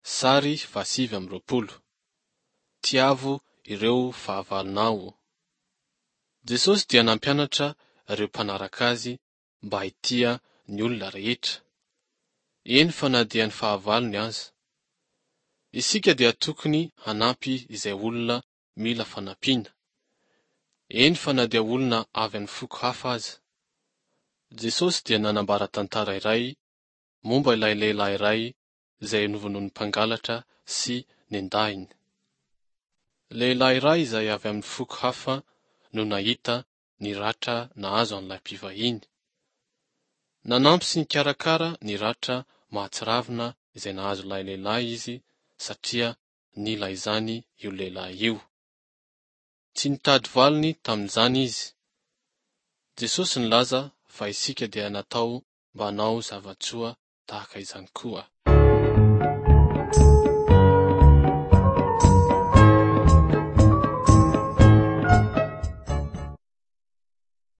Sary faha 29. Tiavo ireo fahavalonao. Jesosy dia nampianatra ireo mpanaraka azy mba hitia ny olona rehetra, eny fa na dia ny fahavalony aza. Isika dia tokony hanampy izay olona mila fanampiana, eny fa na dia olona avy amin'ny foko hafa aza. Jesosy dia nanambara tantara iray momba ilay lehilahy iray izay novonoin'ny mpangalatra sy nendahiny. Lehilahy iray izay avy amin'ny foko hafa no nahita ny ratra nahazo an'ilay mpivahiny. Nanampy sy nikarakara ny ratra mahatsiravina izay nahazo ilay lehilahy izy satria nila izany io lehilahy io. Tsy nitady valiny tamin'izany izy. Jesosy nilaza fa isika dia natao mba hanao zava-tsoa tahaka izany koa.